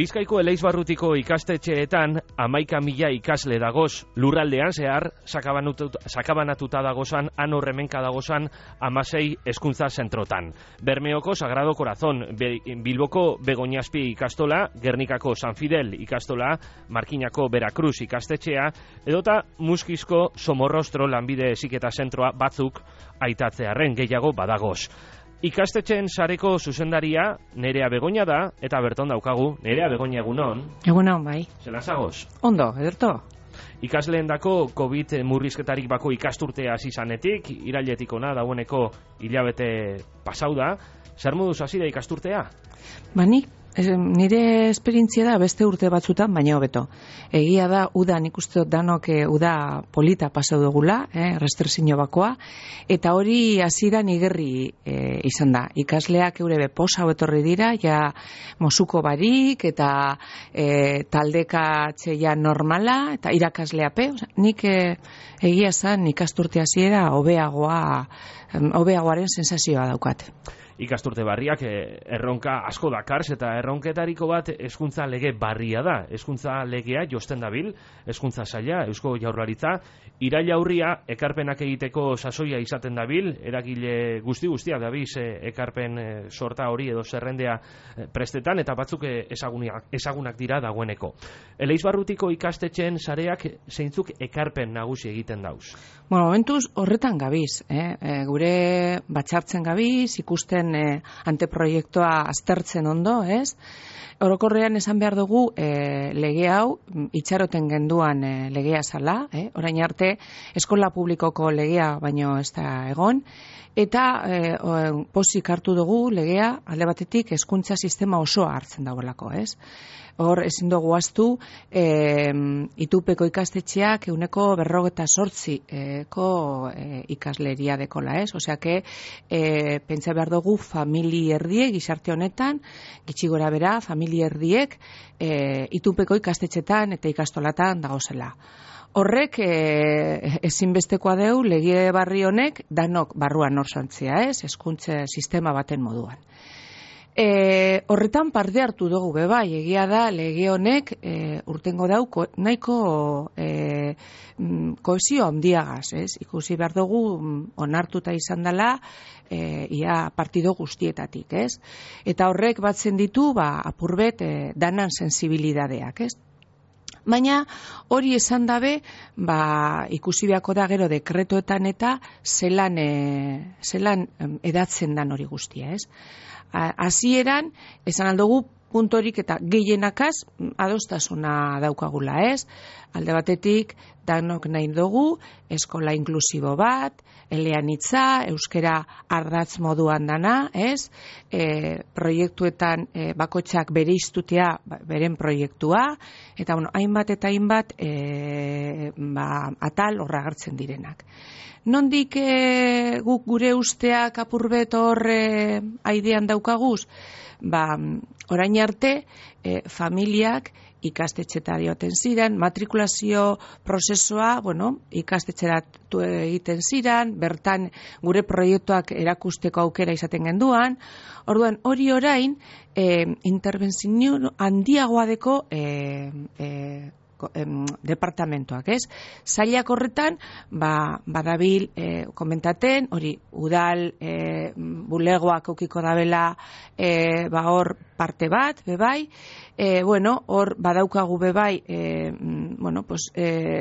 Bizkaiko Eleizbarrutiko ikastetxeetan 11.000 ikasle dagoz, lurraldean zehar sakabanatuta dagozan, anorremenka dagozan 16 hezkuntza zentrotan. Bermeoko Sagrado Corazón, Bilboko Begoñaspi ikastola, Gernikako San Fidel ikastola, Markinako Veracruz ikastetxea, edota Muskizko Somorrostro lanbide heziketa zentroa batzuk aitatzearren gehiago badagoz. Ikastetxeen sareko zuzendaria Nerea Begoña da, eta berton daukagu. Nerea Begoña, egunon. Egunon, bai. Zela zagoz? Ondo, ederto. Ikasleendako COVID murrizketarik bako ikasturtea hasi zanetik, irailetik ona dagoeneko hilabete pasau da. Zer moduz hasi da ikasturtea? Nik nire esperientzia da beste urte batzutan, baina hobeto. Egia da, uda nik uste dut danok uda polita pasau dugula, restrezio bakoa, eta hori hasieran igerri izan da. Ikasleak eurebe posa etorri dira, ja mosuko barik, eta taldeka txeia normala, eta irakasleape. Nik egia zan ikasturte hasiera hobeagoaren sensazioa daukat. Ikasturte barriak erronka asko dakarz, eta erronketariko bat hezkuntza lege barria da. Hezkuntza legea josten dabil, hezkuntza saila, Eusko Jaurlaritza, iraila aurria ekarpenak egiteko sasoia izaten dabil, eragile guztia dabiz ekarpen sorta hori edo zerrendea prestetan, eta batzuk ezagunak dira dagoeneko. Eleizbarrutiko ikastetxeen sareak zeintzuk ekarpen nagusi egiten dauz? Momentuz horretan gabiz, gure batxartzen gabiz, ikusten anteproiektua aztertzen ondo, ez? Orokorrean esan behar dugu lege hau itxaroten genduan legea zala, orain arte eskola publikoko legea baino ez da egon, eta pozik hartu dugu legea alde batetik hezkuntza sistema osoa hartzen dagoelako, ez? Hor ezin dugu ahaztu itupeko ikastetxeak 48% ikasleria dekola, ez? Osea que pentsa behar dugu famili erdiek gizarte honetan, gitxi gora bera, famili erdiek itupeko ikastetxetan eta ikastolatan dagozela. Horrek ezinbestekoa deu lege barri honek danok barruan orsantzia, ez? Hezkuntza sistema baten moduan. Horretan parte hartu dugu bebai, egia da lege honek urtengo dauko nahiko kohesio handiagaz, ez? Ikusi behar dugu onartuta izan dela ia partido guztietatik, ez? Eta horrek batzen ditu apurbet danan sensibilidadeak, ez? Baina hori esan dabe, ikusi beharko da gero dekretoetan eta zelan edatzen dan hori guztia, ez? Hasieran esan aldugu puntorik eta gehienakaz adostasuna daukagula, ez? Alde batetik danok nahi dugu eskola inklusibo bat, eleanitza, euskera ardatz moduan dana, ez? Proiektuetan bakotxak bere iztutea beren proiektua, eta hainbat eta hainbat atal horra agertzen direnak. Nondik guk gure usteak apurbet hor aidean daukaguz? Orain arte familiak ikastetxetara joaten ziren, matrikulazio prozesua, ikastetxeratu egiten ziren, bertan gure proiektuak erakusteko aukera izaten genduan. Orduan, hori orain intervenzio handiagoa deko departamentoak, ez? Sailak horretan, badabil komentaten, hori udal bulegoak eukiko dabela hor parte bat, bebai, hor badaukagu bebai,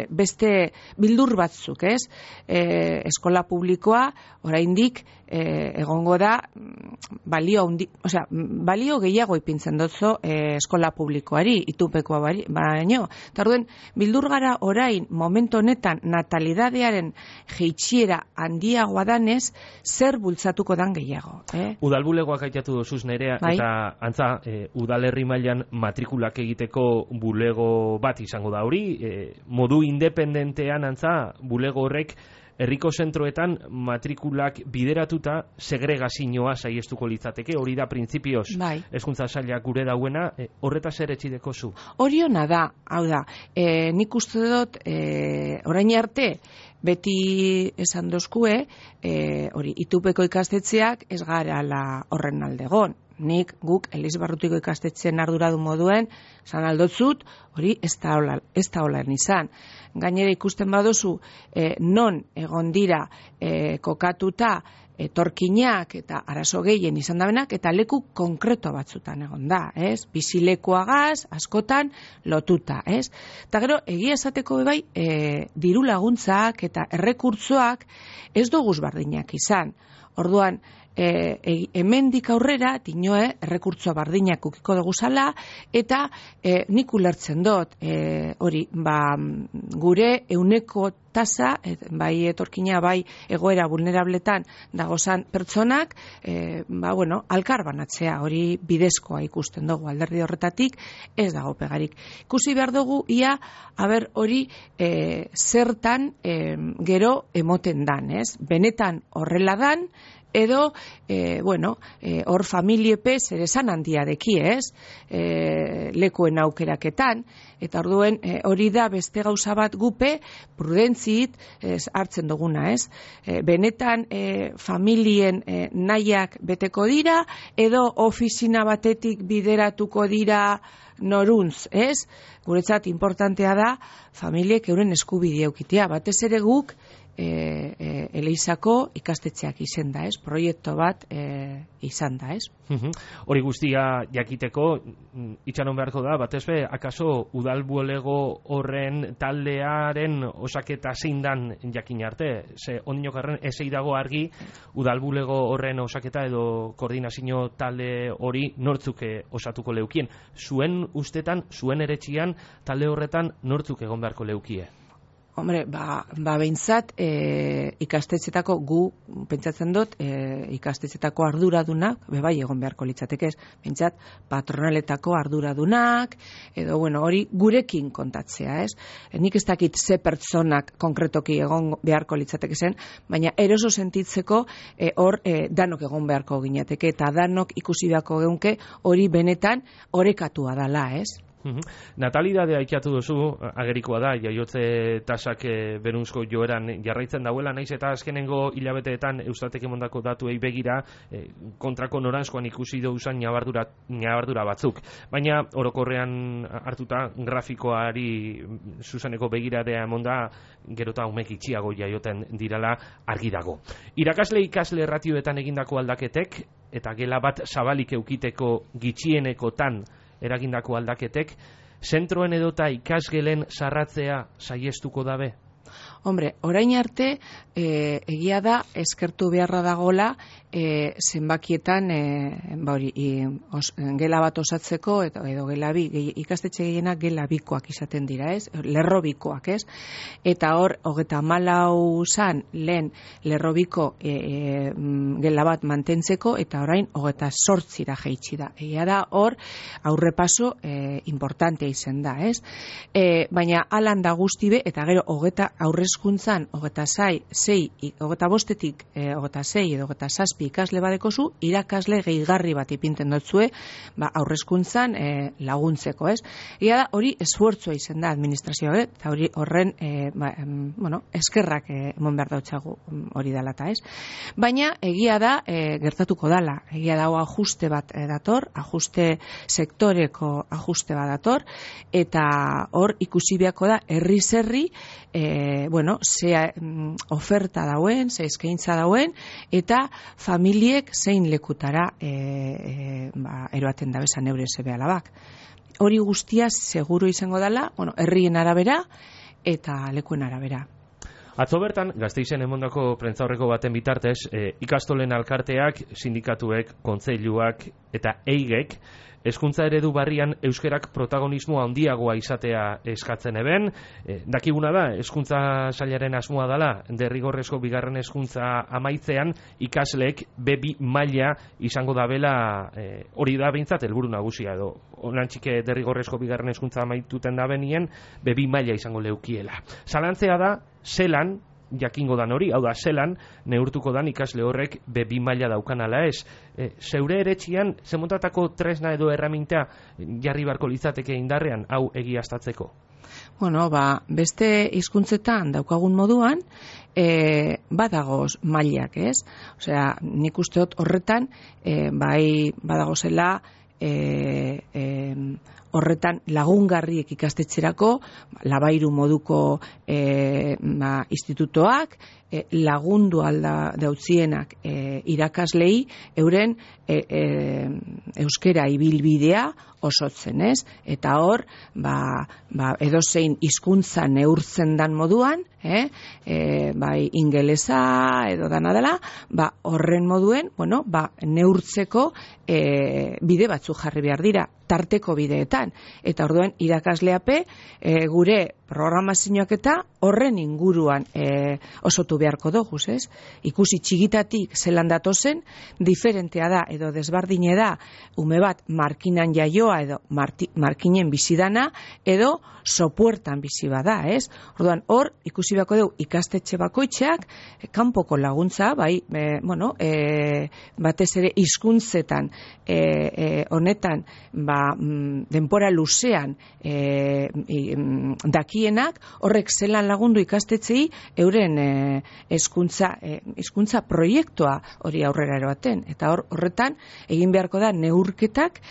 beste bildur batzuk, ez? Eskola publikoa, oraindik egongo da, balio gehiago ipintzen dutzo eskola publikoari, itupekoa baino. Eta orduen, bildur gara orain, momentu honetan, natalidadearen jeitxiera handiagoa danez, zer bultzatuko dan gehiago. Udal bulegoak aitatu dozuz Nerea, eta antza, udalerri mailan matrikulak egiteko bulego bat izango da hori, modu independentean antza, bulego horrek herriko zentroetan matrikulak bideratuta segregazioa saiestuko litzateke, hori da printzipioz hezkuntza sailak gure dauena, horretaz ere etxideko zu? Hori ona da, hau da, nik uste dut orain arte beti esan dozkue, hori itupeko ikastetxeak ez gara horren aldegon. guk Elizbarrutiko ikastetxeen arduradun moduen, esan aldotzut, hori ez da hola izan. Gainera ikusten baduzu, non egon dira kokatuta etorkinak eta arazo gehien izan dabenak, eta leku konkreto batzutan egon da, ez? Bizilekuagaz, askotan, lotuta, ez? Eta gero, egia esateko bai, diru laguntzak eta errekurtzoak ez doguz bardinak izan. Orduan, hemendik aurrera, tinoe, errekurtzoa bardinak ukiko dugu zala, eta nik ulertzen dut, hori, gure euneko tasa, bai etorkina, bai egoera vulnerabletan dagozan pertsonak, alkar banatzea, hori bidezkoa ikusten dugu, alderdi horretatik ez dago pegarik. Ikusi behar dugu, ia, hori zertan gero emoten dan, ez? Benetan horrela dan, edo, hor familiepe zer esan handia deki, ez? Lekuen aukeraketan, eta orduen hori da beste gauza bat gupe prudentzit hartzen duguna, ez? Benetan familien nahiak beteko dira, edo ofizina batetik bideratuko dira noruntz, ez? Guretzat importantea da familiek euren eskubidea eukitea, batez ere guk Eleizako ikastetxeak izan da, ez? Proiektu bat izan da, ez? Hori guztia jakiteko, itxaron beharko da, batez be, akaso udalbulego horren taldearen osaketa zein dan jakin arte? Ze ondinokarren ezei dago argi udalbulego horren osaketa edo koordinazio talde hori nortzuk osatuko leukien. Zuen ustetan, zuen eretxian, talde horretan nortzuk egon beharko leukie? Hombre, behintzat ikastetxetako gu, pentsatzen dut, ikastetxetako arduradunak, bai egon beharko litzatekez, behintzat patronaletako arduradunak, edo, hori gurekin kontatzea, ez? Nik ez dakit ze pertsonak konkretoki egon beharko litzatekezen, baina eroso sentitzeko hor danok egon beharko ginateke, eta danok ikusi beharko geunke hori benetan orekatua dala, ez? Natalidadea aipatu duzu, agerikoa da, jaiotze tasak berunzko joeran jarraitzen dauela, naiz eta azkenengo hilabeteetan Eustatek emondako datuei begira kontrako noranzkoan ikusi duzan ñabardura batzuk. Baina orokorrean hartuta grafikoari zuzeneko begiradea emonda, gero eta umek itxiago jaioten dirala argi dago. Irakasle ikasle ratioetan egindako aldaketek, eta gela bat zabalik eukiteko gitxienekotan eragindako aldaketek, zentroen edota ikasgelen sarratzea saiestuko dabe? Hombre, orain arte, egia da, eskertu beharra dagola, zenbakietan, gela bat osatzeko, edo gela bi, ikastetxe gehienak gela bikoak izaten dira, ez? Lerro bikoak, ez? Eta hor, 34 zan lehen lerro biko gela bat mantentzeko, eta orain 28 jaitsi da. Egia da, hor, aurrepaso importantea izan da, ez? Baina, alan da guztibe, eta gero, aurrezkuntzan, 25-etik 26 edo 27 ikasle badekozu, irakasle gehigarri bat ipinten dotzue, aurrezkuntzan laguntzeko, ez? Ia da, hori esfuertzua izan da administrazioa, eta hori horren, eskerrak emon behar dautxagu hori dalata, ez? Baina, egia da, gertatuko dala, egia da, ajuste bat dator, ajuste sektoreko ajuste bat dator, eta hor ikusi beharko da, herri-zerri, ze oferta dauen, ze eskaintza dauen, eta familiek zein lekutara eroaten dabezan eure sebe alabak. Hori guztia seguru izango dela, herrien arabera eta lekuen arabera. Atzo bertan, Gasteizen emondako prentzaurreko baten bitartez, ikastolen alkarteak, sindikatuek, kontseiluak eta eigek, hezkuntza eredu barrian euskerak protagonismo handiagoa izatea eskatzen eben. Dakiguna da, hezkuntza sailaren asmoa dela, derrigorrezko bigarren hezkuntza amaitzean ikasleek B2 maila izango dabela, hori da behintzat helburu nagusia edo onantxike derrigorrezko bigarren hezkuntza amaituten da benien B2 maila izango leukiela. Zalantzea da, zelan jakingo dan hori, hau da, zelan neurtuko dan ikasle horrek B2 maila daukan ala ez. Zeure eretxian, zemontatako tresna edo erraminta jarri barko litzateke indarrean, hau egiaztatzeko? Bueno, beste hizkuntzetan daukagun moduan, badagoz mailak, ez? Osea, nik uste dut horretan, bai badagozela, horretan lagungarriek ikastetxerako, labairu moduko institutoak, lagundu alda dautzienak irakaslei euren euskera ibilbidea osotzen, ez? Eta hor, edozein hizkuntza neurtzen dan moduan, bai ingelesa edo dana dela, horren moduen, neurtzeko bide batzuk jarri behar dira, tarteko bideetan. Eta orduen irakasleape gure programazioak eta horren inguruan osotu beharko dugu, ez? Ikusi txigitatik zelan datozen, diferentea da edo desbardine da ume bat markinan jaioa edo markinen bizidana edo sopuertan bizi bada, ez? Orduan hor ikusi beharko dugu ikastetxe bakoitzeak kanpoko laguntza, bai, batez ere hizkuntzetan honetan denpora luzean dakienak, horrek zelan lagundu ikastetxei euren hizkuntza proiektua hori aurrera eroaten. Eta horretan egin beharko da neurketak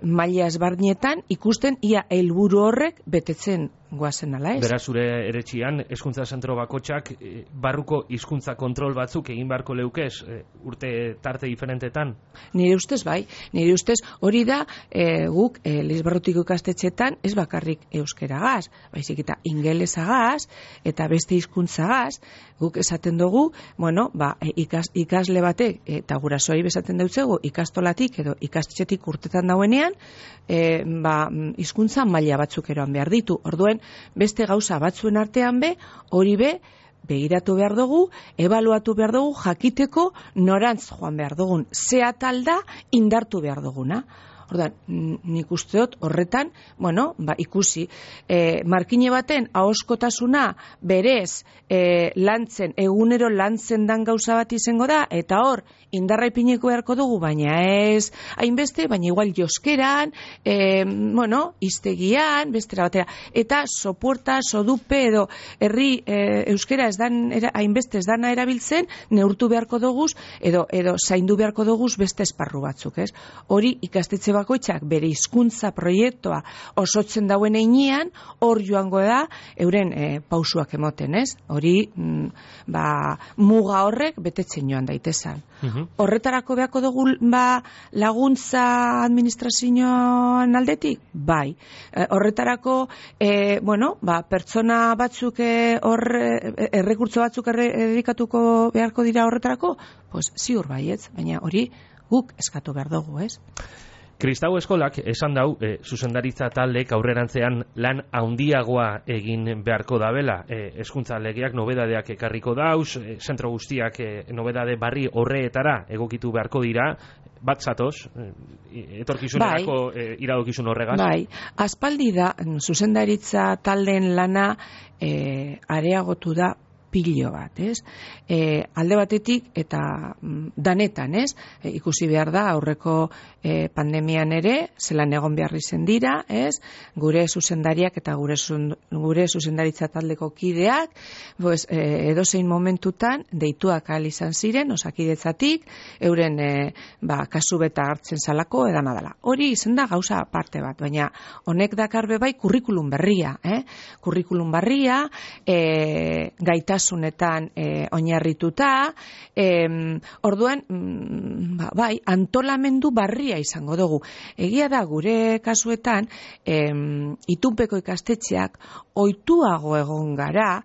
maila ezberdinetan ikusten ia helburu horrek betetzen goazen ala, ez? Beraz, zure eretxian, hezkuntza zentro bakotxak barruko hizkuntza kontrol batzuk egin beharko leukez urte tarte diferentetan? Nire ustez bai, nire ustez hori da guk Lisbarrutiko ikastetxetan ez bakarrik euskeragaz, baizik eta ingelesagaz eta beste hizkuntzagaz, guk esaten dugu, ikasle batek eta gurasoei besaten dautzegu ikastolatik edo ikastetxetik urtetan dauenean, hizkuntza maila batzuk eroan behar ditu. Orduen beste gauza batzuen artean hori begiratu behar dugu, ebaluatu behar dugu, jakiteko norantz joan behar dugun, ze atal da indartu behar duguna. Ordan, nik uste dut horretan, ikusi, markine baten ahoskotasuna berez lantzen, egunero lantzen dan gauza bat izango da, eta hor, indarra ipiniko beharko dugu, baina ez hainbeste, baina igual joskeran, iztegian, bestera batera, eta sopuerta, sodupe edo herri euskera ez dan, hainbeste ez dana erabiltzen, neurtu beharko duguz, edo zaindu beharko duguz beste esparru batzuk, ez? Hori ikastetxe bakoitzak bere hizkuntza proiektua osotzen dauen heinean, hor joango da euren pausuak emoten, ez? Hori, muga horrek betetzen joan daitezan. Horretarako beharko dugu laguntza administrazioan aldetik? Bai. Horretarako, pertsona batzuk errekurtso batzuk erredikatuko beharko dira horretarako? Pues ziur baietz, baina hori guk eskatu behar dugu, ez? Kristau eskolak esan dau, zuzendaritza taldek aurrerantzean lan handiagoa egin beharko dabela. Hezkuntza legeak nobedadeak ekarriko dauz, zentro guztiak nobedade barri horreetara egokitu beharko dira, bat zatoz, etorkizunerako iradokizun horregaz? Bai, aspaldi da zuzendaritza taldeen lana areagotu da pilo bat, ez? Alde batetik eta danetan, ez? Ikusi behar da aurreko pandemian ere, zelan egon behar izen dira, ez? Gure zuzendariak eta gure zuzendaritza taldeko kideak, edozein momentutan deituak ahal izan ziren, osakidetzatik, euren kasu beta hartzen zalako edana dela. Hori izan da gauza parte bat, baina honek dakarbe bai kurrikulum berria, kurrikulum berria, gaitasunetan oinarrituta, orduan, bai, antolamendu barria izango dugu. Egia da, gure kasuetan, itunpeko ikastetxeak ohituago egon gara,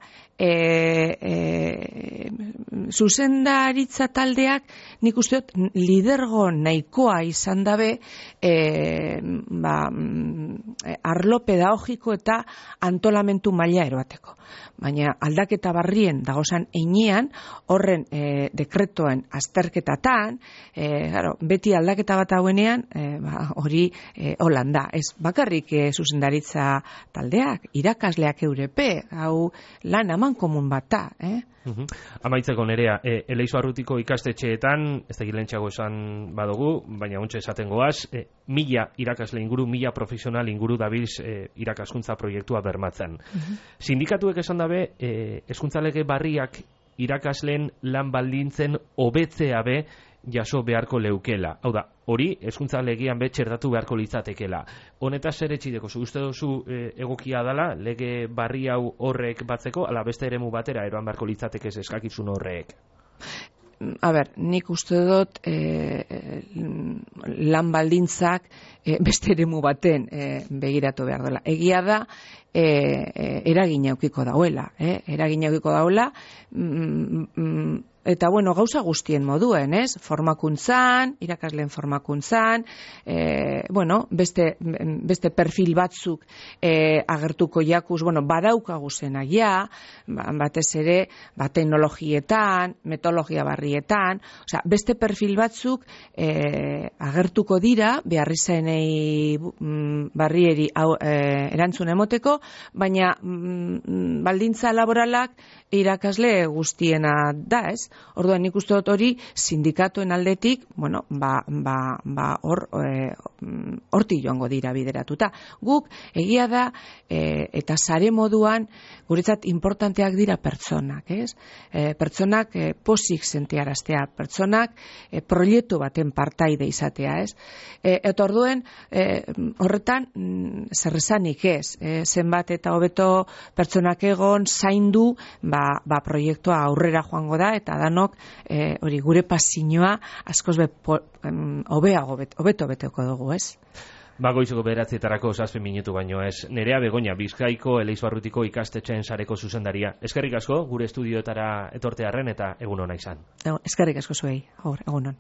zuzendaritza taldeak nik uste dut lidergo nahikoa izan dabe arlo pedagogiko eta antolamentu maila eroateko. Baina aldaketa barrien dagozan heinean, horren dekretoen azterketatan, beti aldaketa bat hauenean, hori holanda. Ez bakarrik zuzendaritza taldeak, irakasleak eurepe, hau lan aman komun bat da, Amaitzeko Nerea, Elizbarrutiko ikastetxeetan, ez da gilentxago esan badugu, baina ontsa esaten goaz, 1000 irakasle inguru, 1000 profesional inguru dabilz irakaskuntza proiektua bermatzen. Sindikatuek esan dabe, hezkuntza lege barriak irakasleen lan baldintzen hobetzea be jaso beharko leukela. Hau da, hori hezkuntza legean be txertatu beharko litzatekela. Honetaz zer etxideko, uste duzu egokia dala, lege barri hau horrek batzeko, ala beste eremu batera eroan beharko litzateke eskakizun horrek? A ber, nik uste dut lan baldintzak beste eremu baten begiratu behar dela. Egia da, eragina eukiko dauela. Eragina eukiko dauela, eta bueno, gauza guztien moduen, ez? Formakuntzan, irakasleen formakuntzan, bueno, beste perfil batzuk agertuko jakuz, bueno, badaukagu zenaia, batez ere, teknologietan, metodologia barrietan, osea, beste perfil batzuk agertuko dira, beharrizenei barrieri erantzun emoteko, baina baldintza laboralak irakasle guztiena da, ez? Orduan nik uste dut hori sindikatuen aldetik, bueno, horti joango dira bideratuta. Guk egia da eta sare moduan guretzat importanteak dira pertsonak, ez? Pertsonak pozik sentiaraztea, pertsonak proiektu baten partaide izatea, ez? Eta orduen horretan zer esanik ez, zenbat eta hobeto pertsonak egon zaindu, proiektua aurrera joango da eta danok hori gure pasioa askoz hobeto beteko dugu, ez? Goizeko 9:00 7 minutu baino ez. Nerea Begoña, Bizkaiko Elizbarrutiko ikastetxeen sareko zuzendaria. Eskerrik asko gure estudioetara etortearren eta egun ona izan. Eskerrik asko zuei, egun on.